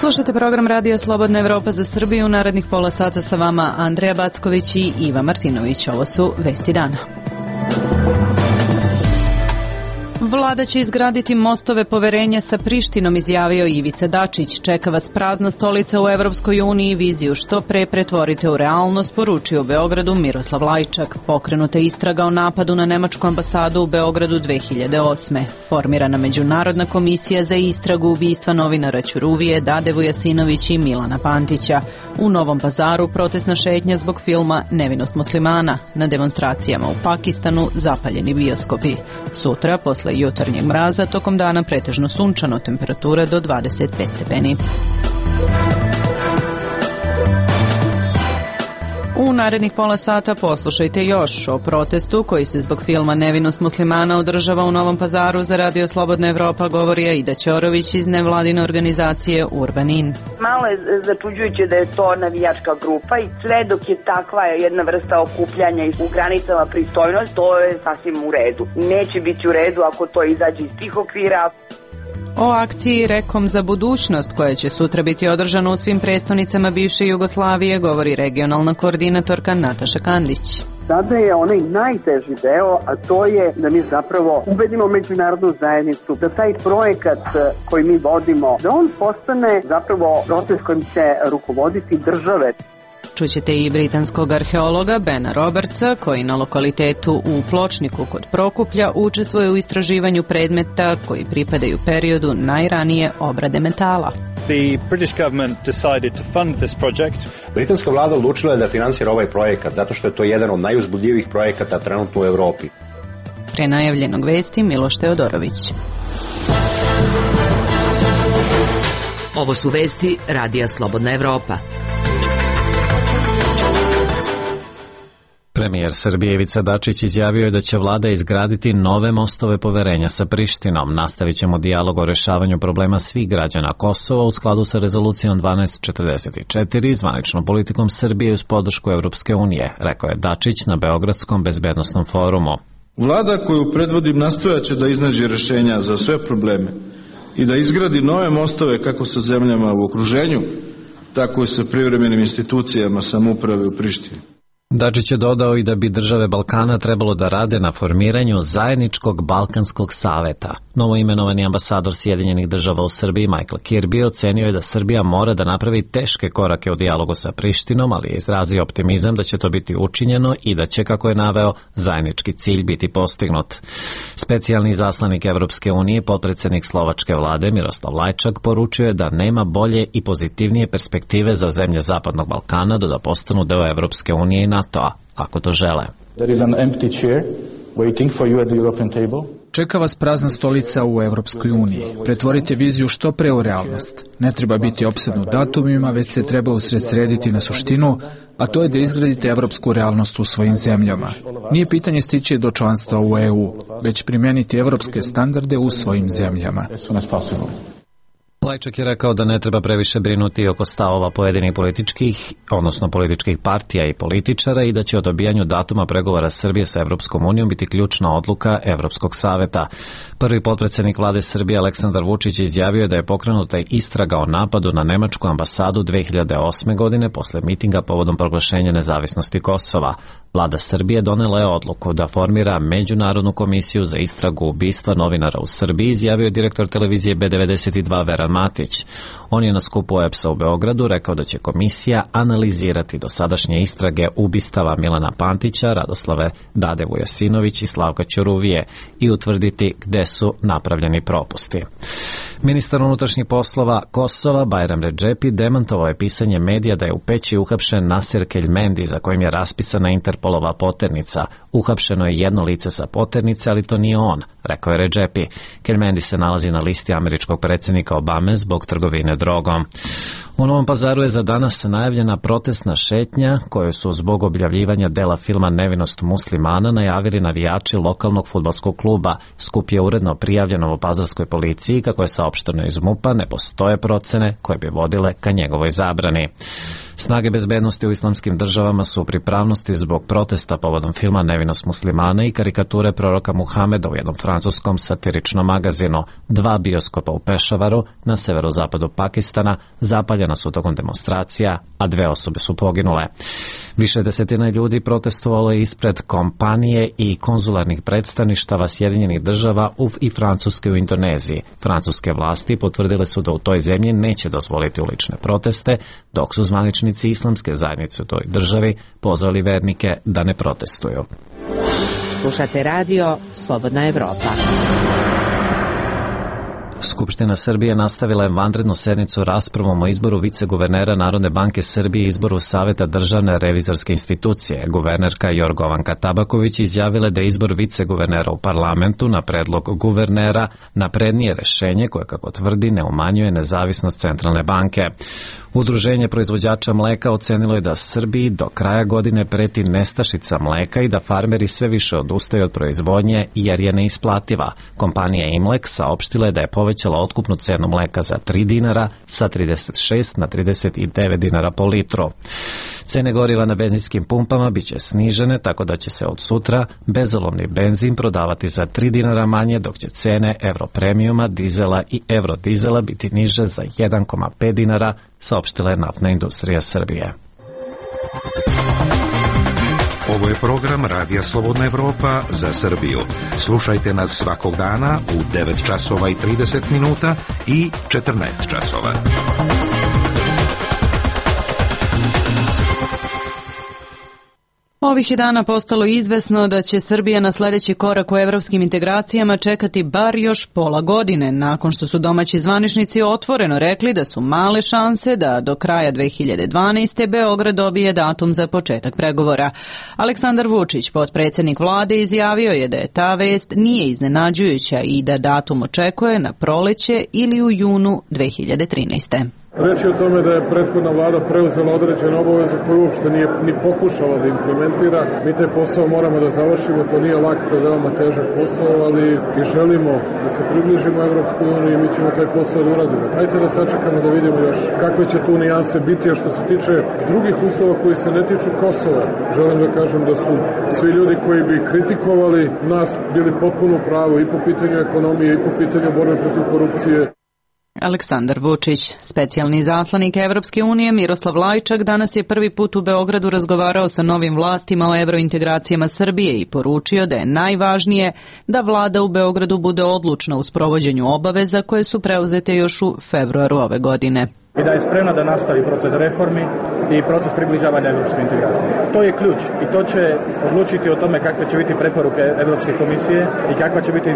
Slušajte program Radija Slobodna Evropa za Srbiju. Narednih pola sata sa vama Andreja Backović i Iva Martinović. Ovo su vesti dana. Vlada će izgraditi mostove poverenja sa Prištinom, izjavio Ivica Dačić. Čeka vas prazna stolica u Evropskoj uniji, viziju što pre pretvorite u realnost, poručio u Beogradu Miroslav Lajčak. Pokrenuta istraga o napadu na nemačku ambasadu u Beogradu 2008. Formirana Međunarodna komisija za istragu ubistva novinara Ćuruvije, Dade Vujasinović i Milana Pantića. U Novom Pazaru protestna šetnja zbog filma Nevinost muslimana. Na demonstracijama u Pakistanu zapaljeni bioskopi. Sutra, posle jutarnjeg mraza, tokom dana pretežno sunčano, temperatura do 25 stepeni. U narednih pola sata poslušajte još o protestu koji se zbog filma Nevinost muslimana održava u Novom Pazaru. Za Radio Slobodna Evropa govori Aida Ćorović iz nevladine organizacije Urbanin. Malo je začuđujuće da je to navijačka grupa i sve dok je takva jedna vrsta okupljanja u granicama pristojnosti, to je sasvim u redu. Neće biti u redu ako to izađe iz tih okvira. O akciji Rekom za budućnost, koja će sutra biti održana u svim prestonicama bivše Jugoslavije, govori regionalna koordinatorka Nataša Kandić. Sada je onaj najteži deo, a to je da mi zapravo ubedimo međunarodnu zajednicu, da taj projekat koji mi vodimo, da on postane zapravo proces kojim će rukovoditi države. Čućete i britanskog arheologa Bena Robertsa, koji na lokalitetu u Pločniku kod Prokuplja učestvuje u istraživanju predmeta koji pripadaju periodu najranije obrade metala. The British government decided to fund this project. Britanska vlada odlučila je da finansira ovaj projekat zato što je to jedan od najuzbudljivijih projekata trenutno u Evropi. Pre najavljenog vesti Miloš Teodorović. Ovo su vesti Radija Slobodna Evropa. Premijer Srbije Ivica Dačić izjavio je da će vlada izgraditi nove mostove poverenja sa Prištinom. Nastavit ćemo dijalog o rešavanju problema svih građana Kosova u skladu sa rezolucijom 1244 i zvaničnom politikom Srbije uz podršku Evropske unije, rekao je Dačić na Beogradskom bezbednosnom forumu. Vlada koju predvodim nastojaće da iznađe rešenja za sve probleme i da izgradi nove mostove kako sa zemljama u okruženju, tako i sa privremenim institucijama samouprave u Prištini. Dačić je dodao i da bi države Balkana trebalo da rade na formiranju zajedničkog Balkanskog saveta. Novoimenovani ambasador Sjedinjenih država u Srbiji Michael Kirby ocenio je da Srbija mora da napravi teške korake u dijalogu sa Prištinom, ali je izrazio optimizam da će to biti učinjeno i da će, kako je naveo, zajednički cilj biti postignut. Specijalni izaslanik Evropske unije, potpredsednik slovačke vlade Miroslav Lajčak, poručio je da nema bolje i pozitivnije perspektive za zemlje Zapadnog Balkana da postanu deo Evropske unije i NATO-a, ako to žele. Čeka vas prazna stolica u Evropskoj uniji. Pretvorite viziju što pre u realnost. Ne treba biti opsednut datumima, već se treba usredsrediti na suštinu, a to je da izgradite evropsku realnost u svojim zemljama. Nije pitanje stići do članstva u EU, već primeniti evropske standarde u svojim zemljama. Lajčak je rekao da ne treba previše brinuti oko stavova pojedinih političkih partija i političara i da će o dobijanju datuma pregovora Srbije sa Evropskom unijom biti ključna odluka Evropskog saveta. Prvi potpredsednik vlade Srbije Aleksandar Vučić izjavio je da je pokrenuta istraga o napadu na nemačku ambasadu 2008. godine posle mitinga povodom proglašenja nezavisnosti Kosova. Vlada Srbije donela je odluku da formira Međunarodnu komisiju za istragu ubistva novinara u Srbiji, izjavio je direktor televizije B92 Veran Matić. On je na skupu EPS-a u Beogradu rekao da će komisija analizirati dosadašnje istrage ubistava Milana Pantića, Radoslave Dade Vujasinović i Slavka Ćuruvije i utvrditi gde su napravljeni propusti. Ministar unutrašnjih poslova Kosova Bajram Redžepi demantovao je pisanje medija da je u Peći uhapšen Nasir Keljmendi, za kojim je raspisana Interpolova poternica. Uhapšeno je jedno lice sa poternice, ali to nije on, rekao je Redžepi. Keljmendi se nalazi na listi američkog predsjednika Obame zbog trgovine drogom. U Novom Pazaru je za danas najavljena protestna šetnja koju su zbog objavljivanja dela filma Nevinost muslimana najavili navijači lokalnog fudbalskog kluba. Skup je uredno prijavljen novopazarskoj policiji, kako je saopšteno iz MUP-a, ne postoje procene koje bi vodile ka njegovoj zabrani. Snage bezbednosti u islamskim državama su u pripravnosti zbog protesta povodom filma Nevinost muslimana i karikature proroka Muhameda u jednom francuskom satiričnom magazinu. 2 bioskopa u Pešavaru, na severozapadu Pakistana, zapaljena su tokom demonstracija, a 2 osobe su poginule. Više desetina ljudi protestovalo je ispred kompanije i konzularnih predstavništava Sjedinjenih država i Francuske u Indoneziji. Francuske vlasti potvrdile su da u toj zemlji neće dozvoliti ulične proteste, dok su zvaničnici islamske zajednice u toj državi pozvali vernike da ne protestuju. Slušate radio Slobodna Evropa. Skupština Srbije nastavila je vanrednu sednicu raspravom o izboru viceguvernera Narodne banke Srbije i izboru Saveta državne revizorske institucije. Guvernerka Jorgovanka Tabaković izjavila da je izbor viceguvernera u parlamentu na predlog guvernera naprednije rešenje koje, kako tvrdi, ne umanjuje nezavisnost Centralne banke. Udruženje proizvođača mleka ocenilo je da Srbiji do kraja godine preti nestašica mleka i da farmeri sve više odustaju od proizvodnje jer je neisplativa. Kompanija Imlek saopštila je da je povećala otkupnu cenu mleka za 3 dinara sa 36 na 39 dinara po litru. Cene goriva na benzinskim pumpama biće snižene, tako da će se od sutra bezolovni benzin prodavati za 3 dinara manje, dok će cene Europremijuma, dizela i Eurodizela biti niže za 1,5 dinara, saopštila je Naftna industrija Srbije. Ovo je program Radija Slobodna Evropa za Srbiju. Slušajte nas svakog dana u 9 časova i 30 minuta i 14 časova. Ovih je dana postalo izvesno da će Srbija na sledeći korak u evropskim integracijama čekati bar još pola godine, nakon što su domaći zvaničnici otvoreno rekli da su male šanse da do kraja 2012. Beograd dobije datum za početak pregovora. Aleksandar Vučić, potpredsednik vlade, izjavio je da je ta vest nije iznenađujuća i da datum očekuje na proleće ili u junu 2013. Reč je o tome da je prethodna vlada preuzela određene obaveze koje uopšte nije ni pokušala da implementira. Mi taj posao moramo da završimo, to nije lak, to je veoma težak posao, ali i želimo da se približimo Evropskoj uniji i mi ćemo taj posao da uradimo. Hajde da sačekamo da vidimo još kakve će tu nijanse biti, a što se tiče drugih uslova koji se ne tiču Kosova. Želim da kažem da su svi ljudi koji bi kritikovali nas bili potpuno pravo i po pitanju ekonomije i po pitanju borbe protiv korupcije. Aleksandar Vučić, specijalni izaslanik Evropske unije Miroslav Lajčak, danas je prvi put u Beogradu razgovarao sa novim vlastima o evrointegracijama Srbije i poručio da je najvažnije da vlada u Beogradu bude odlučna u sprovođenju obaveza koje su preuzete još u februaru ove godine. I da je spremna da nastavi proces reformi i proces približavanja evropske integracije. To je ključ i to će odlučiti o tome kakve će biti preporuke Evropske komisije i kakva će biti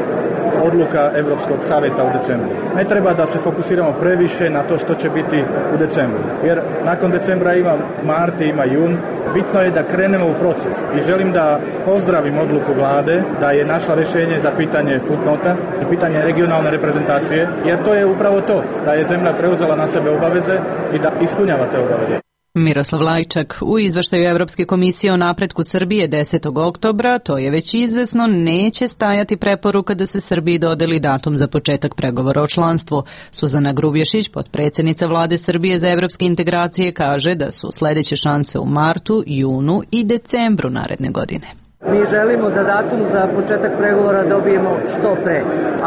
odluka Evropskog saveta u decembru. Ne treba da se fokusiramo previše na to što će biti u decembru, jer nakon decembra ima mart i ima jun. Bitno je da krenemo u proces i želim da pozdravim odluku vlade da je našla rešenje za pitanje footnota i pitanje regionalne reprezentacije, jer to je upravo to, da je zemlja preuzela na sebe obaveze i da ispunjava te obaveze. Miroslav Lajčak, u izveštaju Evropske komisije o napretku Srbije 10. oktobra, to je već izvesno, neće stajati preporuka da se Srbiji dodeli datum za početak pregovora o članstvu. Suzana Grubješić, potpredsjednica vlade Srbije za evropske integracije, kaže da su sledeće šanse u martu, junu i decembru naredne godine. Mi želimo da datum za početak pregovora dobijemo što pre,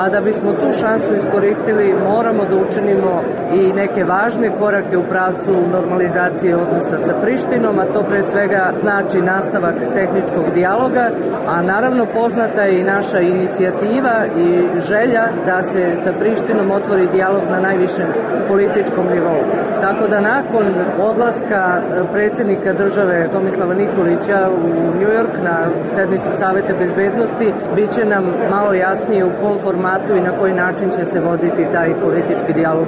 a da bismo tu šansu iskoristili moramo da učinimo i neke važne korake u pravcu normalizacije odnosa sa Prištinom, a to pre svega znači nastavak tehničkog dijaloga, a naravno poznata je i naša inicijativa i želja da se sa Prištinom otvori dijalog na najvišem političkom nivou. Tako da nakon odlaska predsjednika države Tomislava Nikolića u New York na sednicu Saveta bezbednosti, bit će nam malo jasnije u kom formatu i na koji način će se voditi taj politički dijalog.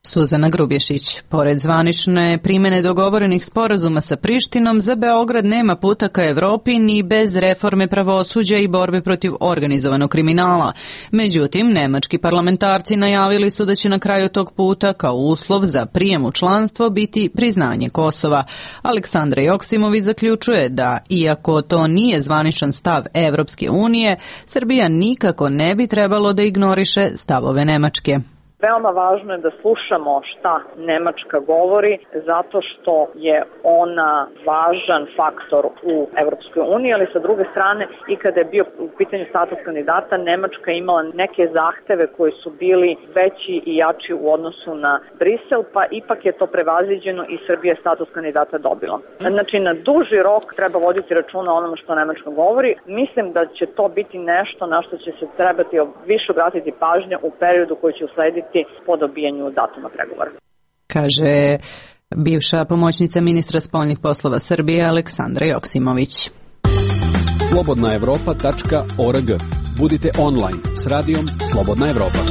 Suzana Grubješić, pored zvanične primene dogovorenih sporazuma sa Prištinom, za Beograd nema puta ka Evropi ni bez reforme pravosuđa i borbe protiv organizovanog kriminala. Međutim, nemački parlamentarci najavili su da će na kraju tog puta kao uslov za prijem u članstvo biti priznanje Kosova. Aleksandra Joksimović zaključuje da, iako to nije zvaničan stav Evropske unije, Srbija nikako ne bi trebalo da ignoriše stavove Nemačke. Veoma važno je da slušamo šta Nemačka govori, zato što je ona važan faktor u Evropskoj uniji, ali sa druge strane i kada je bio u pitanju status kandidata, Nemačka imala neke zahteve koji su bili veći i jači u odnosu na Brisel, pa ipak je to prevaziđeno i Srbija je status kandidata dobila. Znači, na duži rok treba voditi računa o onome što Nemačka govori. Mislim da će to biti nešto na što će se trebati više obratiti pažnje u periodu koji će uslediti po dobijanju datuma pregovora. Kaže bivša pomoćnica ministra spoljnih poslova Srbije Aleksandra Joksimović. Slobodnaevropa.org. Budite online s radijom Slobodna Evropa.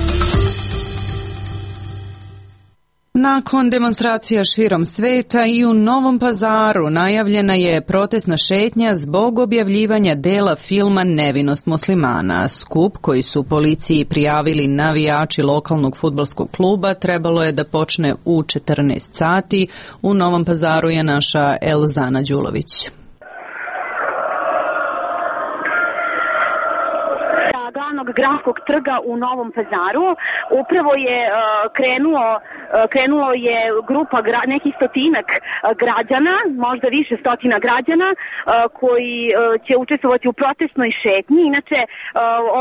Nakon demonstracija širom sveta i u Novom Pazaru najavljena je protestna šetnja zbog objavljivanja dela filma Nevinost muslimana. Skup koji su policiji prijavili navijači lokalnog fudbalskog kluba trebalo je da počne u 14 sati. U Novom Pazaru je naša Elzana Đulović. Gradskog trga u Novom Pazaru. Upravo je krenulo je grupa nekih stotinak građana, možda više stotina građana koji će učestvovati u protestnoj šetnji. Inače,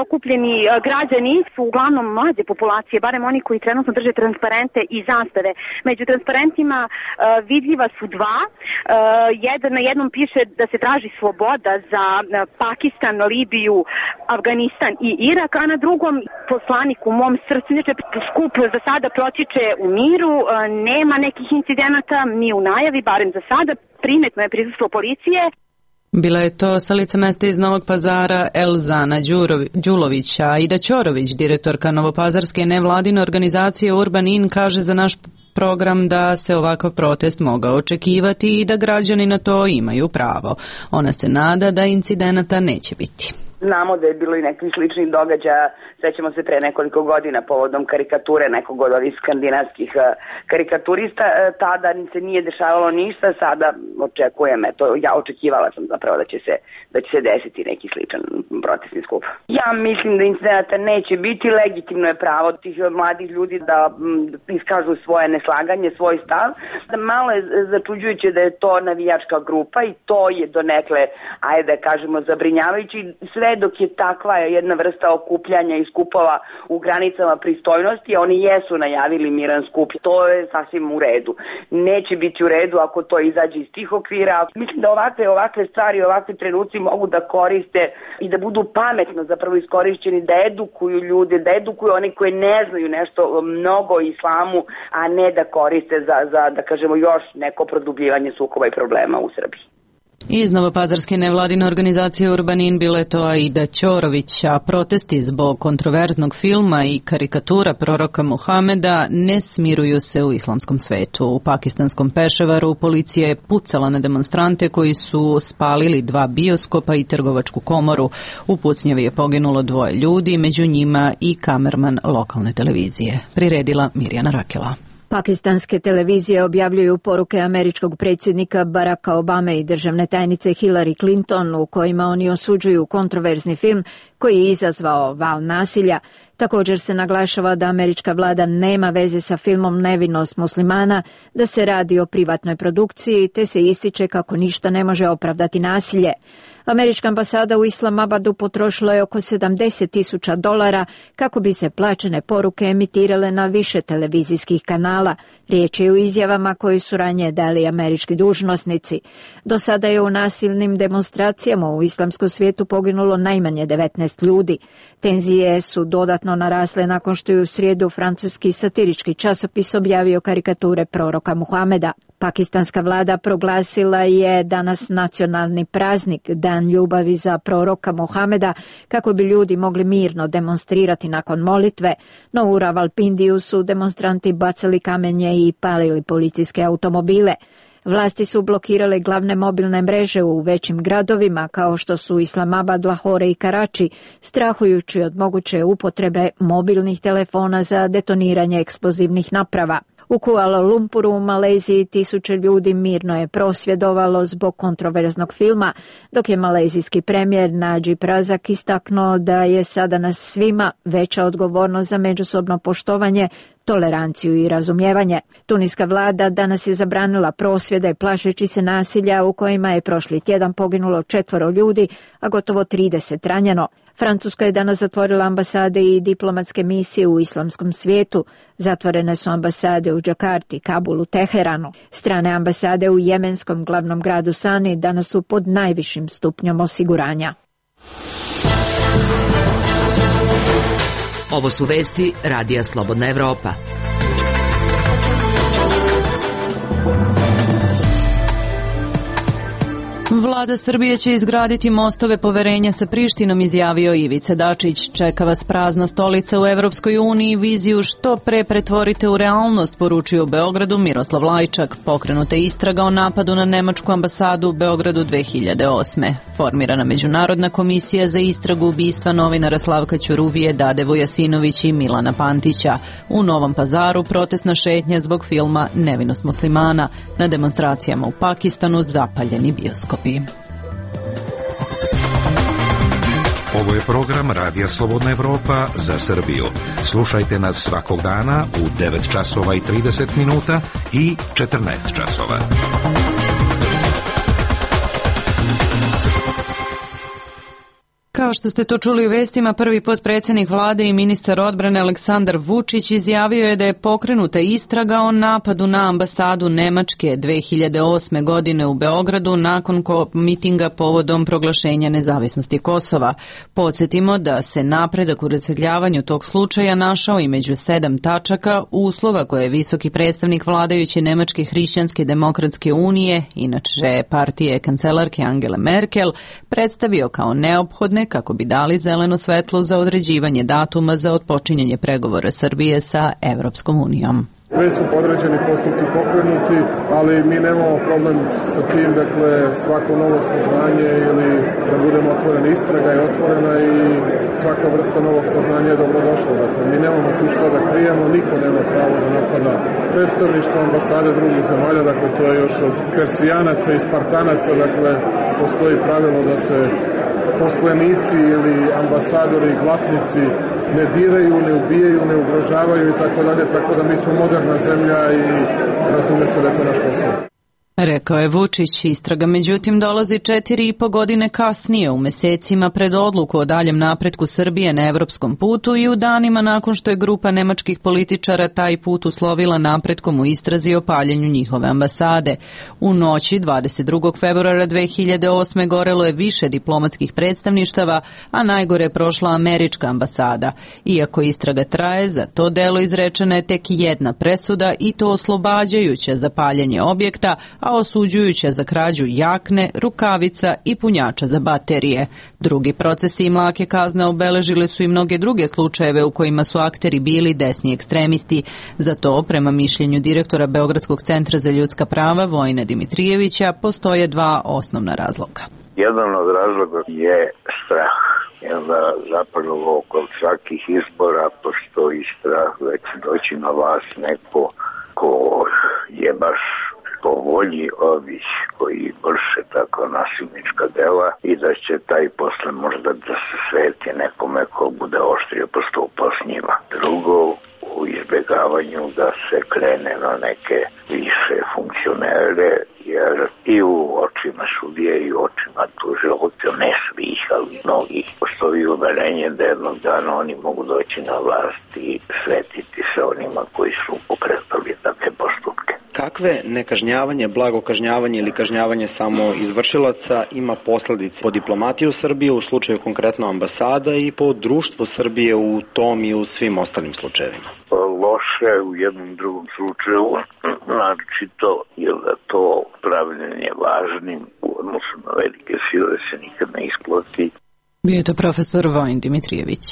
okupljeni građani su uglavnom mlađe populacije, barem oni koji trenutno drže transparente i zastave. Među transparentima vidljiva su dva. Na jednom piše da se traži sloboda za Pakistan, Libiju, Afganistan i Irak, a na drugom poslanik u mom srcu. Inače, skup za sada protiče u miru, nema nekih incidenata, ni u najavi, barem za sada. Primetno je prisustvo policije. Bila je to sa lica mesta iz Novog Pazara Elzana Đulović, a Ida Ćorović, direktorka novopazarske nevladine organizacije Urban In, kaže za naš program da se ovakav protest mogao očekivati i da građani na to imaju pravo. Ona se nada da incidenata neće biti. Znamo da je bilo i nekih sličnih događaja, sećamo se pre nekoliko godina povodom karikature nekog od ovih skandinavskih karikaturista, tada se nije dešavalo ništa, sada očekujem, ja očekivala sam zapravo da će se desiti neki sličan protestni skup. Ja mislim da incidenata neće biti, legitimno je pravo tih mladih ljudi da iskažu svoje neslaganje, svoj stav. Malo je začuđujuće da je to navijačka grupa i to je donekle, ajde da kažemo, zabrinjavajući. Sve dok je takva jedna vrsta okupljanja i skupova u granicama pristojnosti, oni jesu najavili miran skup. To je sasvim u redu. Neće biti u redu ako to izađe iz tih okvira. Mislim da ovakve stvari, ovakve trenuci mogu da koriste i da budu pametno zapravo iskorišćeni, da edukuju ljude, da edukuju oni koji ne znaju nešto mnogo o islamu, a ne da koriste za da kažemo još neko produbljivanje sukoba i problema u Srbiji. Iz novopazarske nevladine organizacije Urban In bila je to Aida Ćorović, a protesti zbog kontroverznog filma i karikatura proroka Muhameda ne smiruju se u islamskom svetu. U pakistanskom Peševaru policija je pucala na demonstrante koji su spalili 2 bioskopa i trgovačku komoru. U pucnjavi je poginulo 2 ljudi, među njima i kamerman lokalne televizije. Priredila Mirjana Rakela. Pakistanske televizije objavljuju poruke američkog predsjednika Baracka Obame i državne tajnice Hillary Clinton u kojima oni osuđuju kontroverzni film koji je izazvao val nasilja. Također se naglašava da američka vlada nema veze sa filmom Nevinost muslimana, da se radi o privatnoj produkciji, te se ističe kako ništa ne može opravdati nasilje. Američka ambasada u Islamabadu potrošila je oko $70,000 kako bi se plaćene poruke emitirale na više televizijskih kanala. Riječ je o izjavama koje su ranije dali američki dužnosnici. Do sada je u nasilnim demonstracijama u islamskom svijetu poginulo najmanje 19 ljudi. Tenzije su dodatno narasle nakon što je u srijedu francuski satirički časopis objavio karikature proroka Muhameda. Pakistanska vlada proglasila je danas nacionalni praznik, Dan ljubavi za proroka Muhameda, kako bi ljudi mogli mirno demonstrirati nakon molitve, no u Ravalpindiju su demonstranti bacali kamenje i palili policijske automobile. Vlasti su blokirale glavne mobilne mreže u većim gradovima kao što su Islamabad, Lahore i Karači, strahujući od moguće upotrebe mobilnih telefona za detoniranje eksplozivnih naprava. U Kuala Lumpuru u Maleziji 1000 ljudi mirno je prosvjedovalo zbog kontroverznog filma, dok je malezijski premijer Najib Razak istaknuo da je sada na svima veća odgovornost za međusobno poštovanje toleranciju i razumijevanje. Tuniska vlada danas je zabranila prosvjede plašeći se nasilja u kojima je prošli tjedan poginulo 4 ljudi, a gotovo 30 ranjeno. Francuska je danas zatvorila ambasade i diplomatske misije u islamskom svijetu. Zatvorene su ambasade u Džakarti, Kabulu, Teheranu. Strane ambasade u jemenskom glavnom gradu Sani danas su pod najvišim stupnjom osiguranja. Ovo su vesti Radija Slobodna Evropa. Vlada Srbije će izgraditi mostove poverenja sa Prištinom, izjavio Ivica Dačić. Čeka vas prazna stolica u Evropskoj uniji, viziju što pre pretvorite u realnost, poručio u Beogradu Miroslav Lajčak. Pokrenuta istraga o napadu na nemačku ambasadu u Beogradu 2008. Formirana Međunarodna komisija za istragu ubistva novinara Slavka Ćuruvije, Dade Vujasinović i Milana Pantića. U Novom Pazaru protestna šetnja zbog filma Nevinost muslimana. Na demonstracijama u Pakistanu zapaljeni bioskopi. Ovo je program Radija Slobodna Evropa za Srbiju. Slušajte nas svakog dana u 9 časova i 30 minuta i 14 časova. Kao što ste to čuli u vestima, prvi potpredsjednik vlade i ministar odbrane Aleksandar Vučić izjavio je da je pokrenuta istraga o napadu na ambasadu Nemačke 2008. godine u Beogradu nakon mitinga povodom proglašenja nezavisnosti Kosova. Podsjetimo da se napredak u rasvetljavanju tog slučaja našao i među 7 tačaka uslova koje je visoki predstavnik vladajuće Nemačke hrišćanske demokratske unije, inače partije kancelarke Angele Merkel, predstavio kao neophodne kako bi dali zeleno svetlo za određivanje datuma za otpočinjanje pregovora Srbije sa Evropskom unijom. Već su podređeni postupci pokrenuti, ali mi nemamo problem sa tim, dakle svako novo saznanje ili da budemo otvorena istraga je otvorena i svaka vrsta novog saznanja je dobrodošla. Dakle, mi nemamo tu što da krijemo, niko nema pravo da napada predstavništvo ambasade drugih zemalja, dakle to je još od Persijanaca i Spartanaca, dakle postoji pravilo da se poslanici ili ambasadori i glasnici ne diraju, ne ubijaju, ne ugrožavaju i tako dalje, tako da mi smo moderna zemlja i razume se da je to naš posao. Rekao je Vučić. Istraga međutim dolazi 4,5 godine kasnije, u mesecima pred odluku o daljem napretku Srbije na evropskom putu i u danima nakon što je grupa nemačkih političara taj put uslovila napretkom u istrazi o paljenju njihove ambasade. U noći 22. februara 2008. gorelo je više diplomatskih predstavništava, a najgore je prošla američka ambasada. Iako istraga traje, za to delo izrečena je tek jedna presuda i to oslobađajuća za paljenje objekta, a osuđujuća za krađu jakne, rukavica i punjača za baterije. Drugi procesi i mlake kazne obeležile su i mnoge druge slučajeve u kojima su akteri bili desni ekstremisti. Za to, prema mišljenju direktora Beogradskog centra za ljudska prava Vojina Dimitrijevića, postoje 2 osnovna razloga. Jedan od razloga je strah. Zapravo kod svakih izbora postoji strah da će doći na vlast neko ko je baš po volji ovih koji vrše tako nasilnička dela i da će taj posle možda da se sveti nekome ko bude oštrio postupao s njima. Drugo, u izbjegavanju da se krene na neke više funkcionere, jer i u očima sudije i u očima tužilaca, ne svih, ali mnogih, postoji uverenje da jednog dana oni mogu doći na vlast i svetiti se onima koji su pokretali takve postupke. Kakve nekažnjavanje, blago kažnjavanje ili kažnjavanje samo izvršilaca ima posledice po diplomatiju Srbije u slučaju konkretno ambasada i po društvu Srbije u tom i u svim ostalim slučajevima? Loše u jednom drugom slučaju, naročito je da to pravljenje važnim u odnosu na velike sile se nikad ne isplati. Bio je to profesor Vojin Dimitrijević.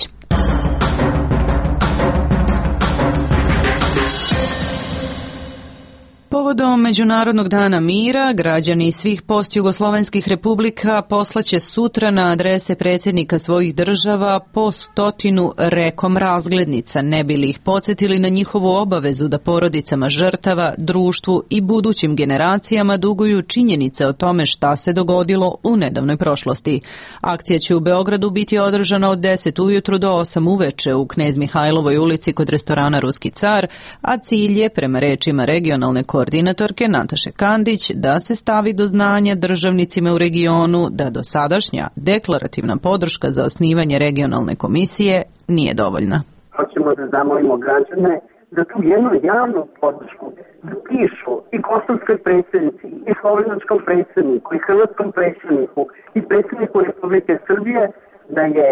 Povodom Međunarodnog dana mira, građani svih postjugoslovenskih republika poslaće sutra na adrese predsjednika svojih država po 100 rekom razglednica, ne bi li ih podsjetili na njihovu obavezu da porodicama žrtava, društvu i budućim generacijama duguju činjenice o tome šta se dogodilo u nedavnoj prošlosti. Akcija će u Beogradu biti održana od 10 ujutru do 8 uveče u Knez Mihajlovoj ulici kod restorana Ruski car, a cilj je, prema rečima regionalne koordinatorke Nataše Kandić, da se stavi do znanja državnicima u regionu da dosadašnja deklarativna podrška za osnivanje regionalne komisije nije dovoljna. Hoćemo da zamolimo građane da tu jednu javnu podršku da pišu i kosovskoj predsjednici, i slovenačkom predsjedniku, i hrvatskom predsjedniku, i predsjedniku Republike Srbije da je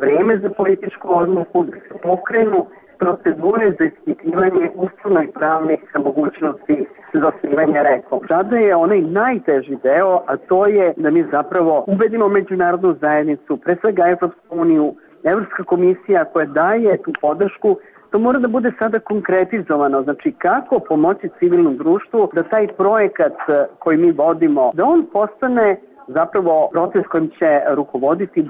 vreme za političku odluku, da se pokrenu procedure za ispitivanje ustavno- pravnih mogućnosti za osnivanje rekom. Sada je onaj najteži deo, a to je da mi zapravo ubedimo međunarodnu zajednicu, pre svega Evropsku uniju, Evropska komisija koja daje tu podršku. To mora da bude sada konkretizovano, znači kako pomoći civilnom društvu da taj projekat koji mi vodimo, da on postane zapravo proces kojim će rukovoditi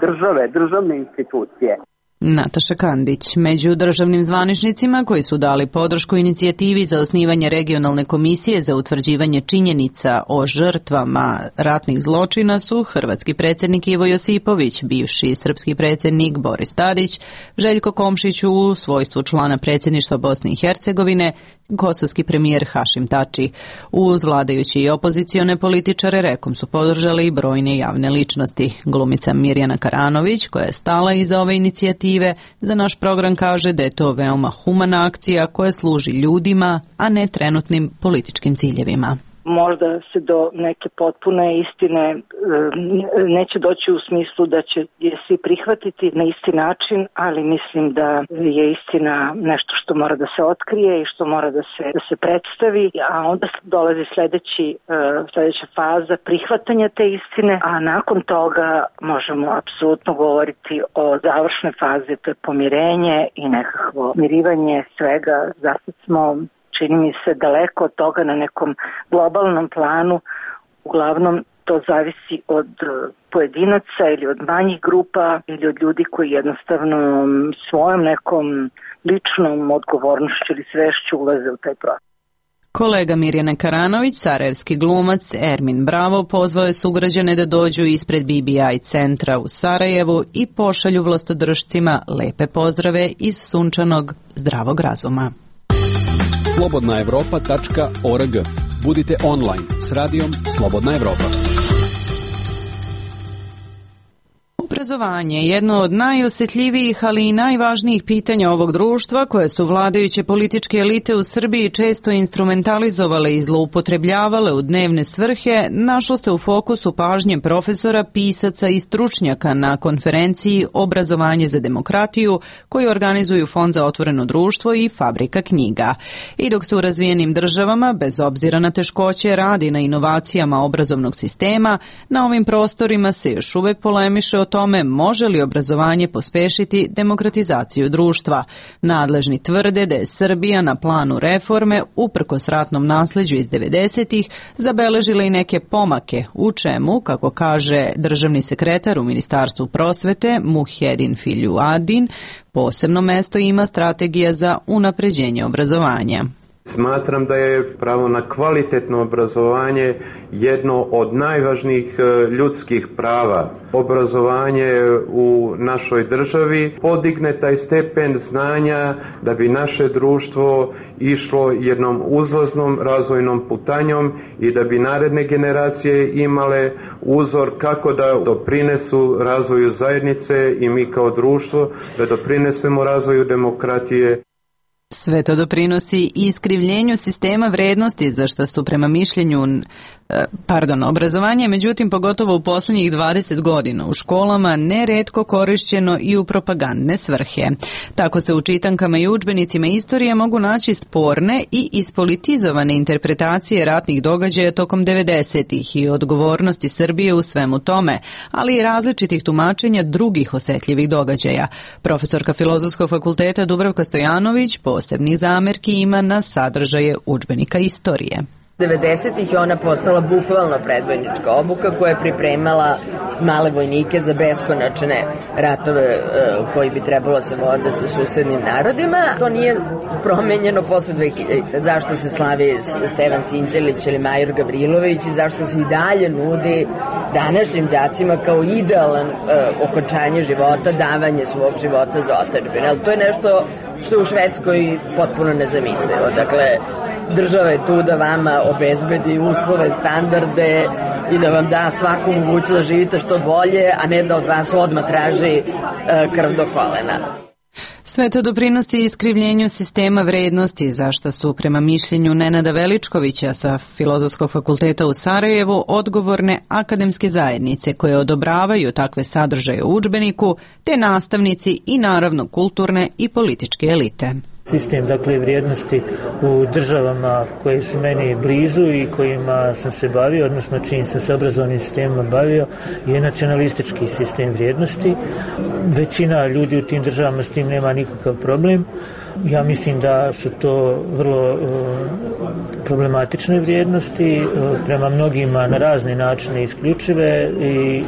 državne institucije. Nataša Kandić. Među državnim zvaničnicima koji su dali podršku inicijativi za osnivanje regionalne komisije za utvrđivanje činjenica o žrtvama ratnih zločina su hrvatski predsjednik Ivo Josipović, bivši srpski predsjednik Boris Tadić, Željko Komšić u svojstvu člana predsjedništva Bosne i Hercegovine, kosovski premijer Hašim Tači. Uz vladajući i opozicione političare rekom su podržali i brojne javne ličnosti. Glumica Mirjana Karanović, koja je stala iza ove inicijative, za naš program kaže da je to veoma humana akcija koja služi ljudima, a ne trenutnim političkim ciljevima. Možda se do neke potpune istine neće doći u smislu da će je svi prihvatiti na isti način, ali mislim da je istina nešto što mora da se otkrije i što mora da se predstavi, a onda dolazi sljedeća faza prihvatanja te istine, a nakon toga možemo apsolutno govoriti o završnoj fazi, to je pomirenje i nekakvo mirivanje svega. Zato smo, čini mi se, daleko od toga na nekom globalnom planu. Uglavnom to zavisi od pojedinaca ili od manjih grupa ili od ljudi koji jednostavno svojom nekom ličnom odgovornošću ili svešću ulaze u taj proces. Kolega Mirjana Karanović, sarajevski glumac Ermin Bravo, pozvao je sugrađane da dođu ispred BBI centra u Sarajevu i pošalju vlastodržcima lepe pozdrave iz sunčanog zdravog razuma. slobodnaevropa.org. Budite online s radijom Slobodna Evropa. Obrazovanje je jedno od najosjetljivijih, ali i najvažnijih pitanja ovog društva, koje su vladajuće političke elite u Srbiji često instrumentalizovale i zloupotrebljavale u dnevne svrhe, našlo se u fokusu pažnje profesora, pisaca i stručnjaka na konferenciji Obrazovanje za demokratiju, koju organizuju Fond za otvoreno društvo i Fabrika knjiga. I dok se u razvijenim državama, bez obzira na teškoće, radi na inovacijama obrazovnog sistema, na ovim prostorima se još uvek polemiše o tome može li obrazovanje pospešiti demokratizaciju društva. Nadležni tvrde da je Srbija na planu reforme, uprkos ratnom nasleđu iz 90-ih, zabeležila i neke pomake, u čemu, kako kaže državni sekretar u Ministarstvu prosvete Muhjedin Filjuadin, posebno mesto ima strategija za unapređenje obrazovanja. Smatram da je pravo na kvalitetno obrazovanje jedno od najvažnijih ljudskih prava. Obrazovanje u našoj državi podigne taj stepen znanja da bi naše društvo išlo jednom uzlaznom razvojnom putanjom i da bi naredne generacije imale uzor kako da doprinesu razvoju zajednice i mi kao društvo da doprinesemo razvoju demokratije. Sve to doprinosi i iskrivljenju sistema vrednosti, za što su prema mišljenju obrazovanje, međutim, pogotovo u posljednjih 20 godina u školama neretko korišćeno i u propagandne svrhe. Tako se u čitankama i udžbenicima istorije mogu naći sporne i ispolitizovane interpretacije ratnih događaja tokom 90-ih i odgovornosti Srbije u svemu tome, ali i različitih tumačenja drugih osjetljivih događaja. Profesorka Filozofskog fakulteta Dubravka Stojanović posebnih zamerki ima na sadržaje udžbenika istorije. 90-ih je ona postala bukvalno predvojnička obuka koja je pripremala male vojnike za beskonačne ratove koji bi trebalo se vode sa susednim narodima. To nije promenjeno posle 2000. Zašto se slavi Stevan Sinđelić ili Major Gavrilović i zašto se i dalje nudi današnjim đacima kao idealan okončanje života, davanje svog života za otadžbinu. Ali to je nešto što je u Švedskoj potpuno nezamislivo. Dakle, država je tu da vama obezbedi uslove, standarde i da vam da svaku mogućnost da živite što bolje, a ne da od vas odmah traži krv do kolena. Sve to doprinosi iskrivljenju sistema vrednosti, za što su prema mišljenju Nenada Veličkovića sa Filozofskog fakulteta u Sarajevu odgovorne akademske zajednice koje odobravaju takve sadržaje u udžbeniku, te nastavnici i naravno kulturne i političke elite. Sistem, dakle, vrijednosti u državama koje su meni blizu i kojima sam se bavio, odnosno čim sam se obrazovnim sistemima bavio, je nacionalistički sistem vrijednosti. Većina ljudi u tim državama s tim nema nikakav problem. Ja mislim da su to vrlo problematične vrijednosti, prema mnogima na razne načine isključive i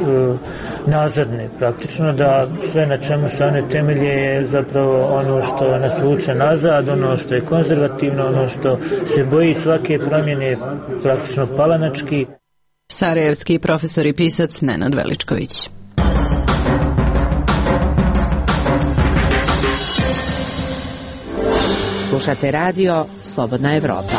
nazadne praktično, da sve na čemu se one temelje je zapravo ono što nas vuče nazad, ono što je konzervativno, ono što se boji svake promjene, praktično palanački. Sarajevski profesor i pisac Nenad Veličković. Slušate radio Slobodna Evropa.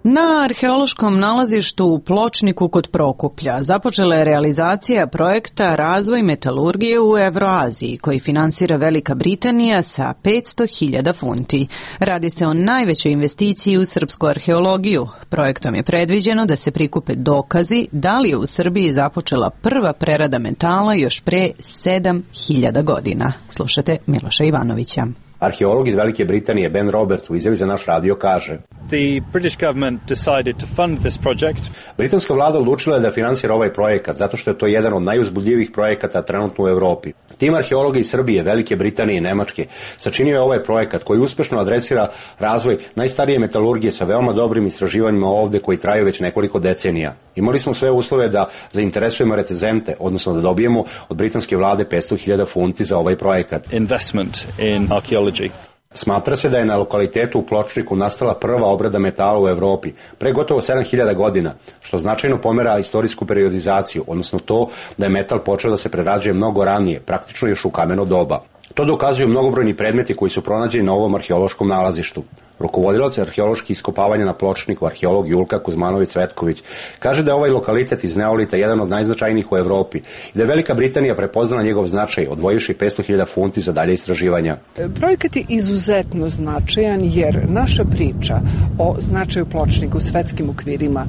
Na arheološkom nalazištu u Pločniku kod Prokuplja započela je realizacija projekta Razvoj metalurgije u Evroaziji, koji finansira Velika Britanija sa 500.000 funti. Radi se o najvećoj investiciji u srpsku arheologiju. Projektom je predviđeno da se prikupe dokazi da li je u Srbiji započela prva prerada metala još pre 7.000 godina. Slušate Miloša Ivanovića. Arheolog iz Velike Britanije Ben Roberts u izjavi za naš radio kaže: The British government decided to fund this project. Britanska vlada odlučila je da finansira ovaj projekat zato što je to jedan od najuzbudljivijih projekata trenutno u Evropi. Tim arheologa iz Srbije, Velike Britanije i Nemačke sačinio je ovaj projekat koji uspešno adresira razvoj najstarije metalurgije sa veoma dobrim istraživanjima ovde koji traju već nekoliko decenija. Imali smo sve uslove da zainteresujemo recenzente, odnosno da dobijemo od britanske vlade 500.000 funti za ovaj projekat. Investment in archaeology. Smatra se da je na lokalitetu u Pločniku nastala prva obrada metala u Evropi, pre gotovo 7.000 godina, što značajno pomera istorijsku periodizaciju, odnosno to da je metal počeo da se prerađuje mnogo ranije, praktično još u kameno doba. To dokazuju mnogobrojni predmeti koji su pronađeni na ovom arheološkom nalazištu. Rukovodilac arheoloških iskopavanja na Pločniku, arheolog Julka Kuzmanović-Cvetković, kaže da je ovaj lokalitet iz neolita jedan od najznačajnijih u Evropi i da je Velika Britanija prepoznala njegov značaj, odvojivši 500.000 funti za dalje istraživanja. Projekat je izuzetno značajan jer naša priča o značaju Pločnika u svetskim okvirima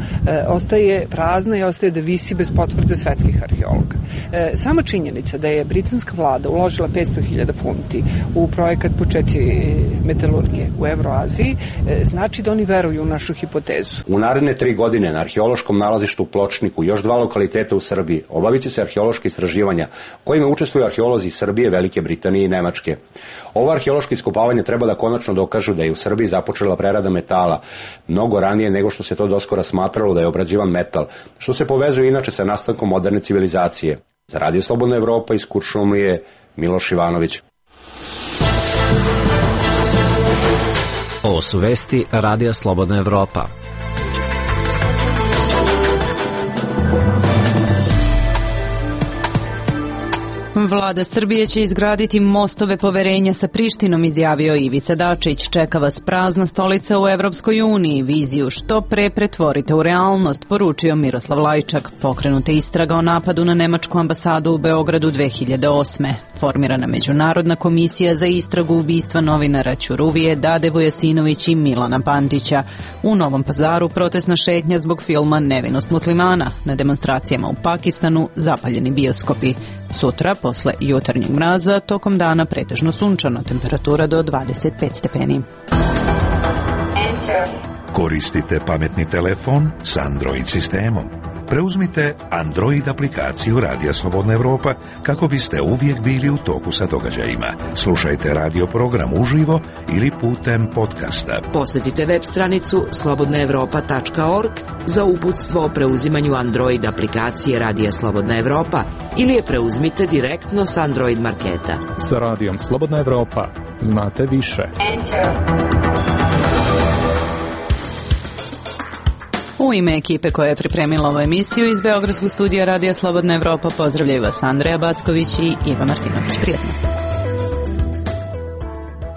ostaje prazna i ostaje da visi bez potvrde svetskih arheologa. Sama činjenica da je britanska vlada uložila 500.000 funti u projekat početi metalurgije u Evroaziji znači da oni veruju u našu hipotezu. U naredne 3 godine na arheološkom nalazištu u Pločniku još 2 lokaliteta u Srbiji obavit će se arheološke istraživanja kojima učestvuju arheolozi iz Srbije, Velike Britanije i Nemačke. Ova arheološka iskopavanja treba da konačno dokažu da je u Srbiji započela prerada metala mnogo ranije nego što se to doskora smatralo da je obrađivan metal, što se povezuje inače sa nastankom moderne civilizacije. Za Radio Slobodna Evropa iz Kuršumlije, Miloš Ivanović. Ovo su vesti Radija Slobodna Evropa. Vlada Srbije će izgraditi mostove poverenja sa Prištinom, izjavio Ivica Dačić. Čeka vas prazna stolica u Evropskoj uniji. Viziju što pre pretvorite u realnost, poručio Miroslav Lajčak. Pokrenuta istraga o napadu na nemačku ambasadu u Beogradu 2008. Formirana Međunarodna komisija za istragu ubistva novinara Ćuruvije, Dade Vujasinović i Milana Pantića. U Novom Pazaru protestna šetnja zbog filma Nevinost muslimana. Na demonstracijama u Pakistanu zapaljeni bioskopi. Sutra, posle jutarnjeg mraza, tokom dana pretežno sunčano, temperatura do 25 stepeni. Koristite pametni telefon s Android sistemom. preuzmite Android aplikaciju Radija Slobodna Evropa kako biste uvijek bili u toku sa događajima. Slušajte radio program uživo ili putem podcasta. Posjetite web stranicu slobodnaevropa.org za uputstvo o preuzimanju Android aplikacije Radija Slobodna Evropa ili je preuzmite direktno s Android marketa. Sa Radijom Slobodna Evropa znate više. U ime ekipe koja je pripremila ovu emisiju iz Beogradskog studija Radija Slobodna Evropa pozdravljaju vas Andreja Backović i Iva Martinović. Prijetno.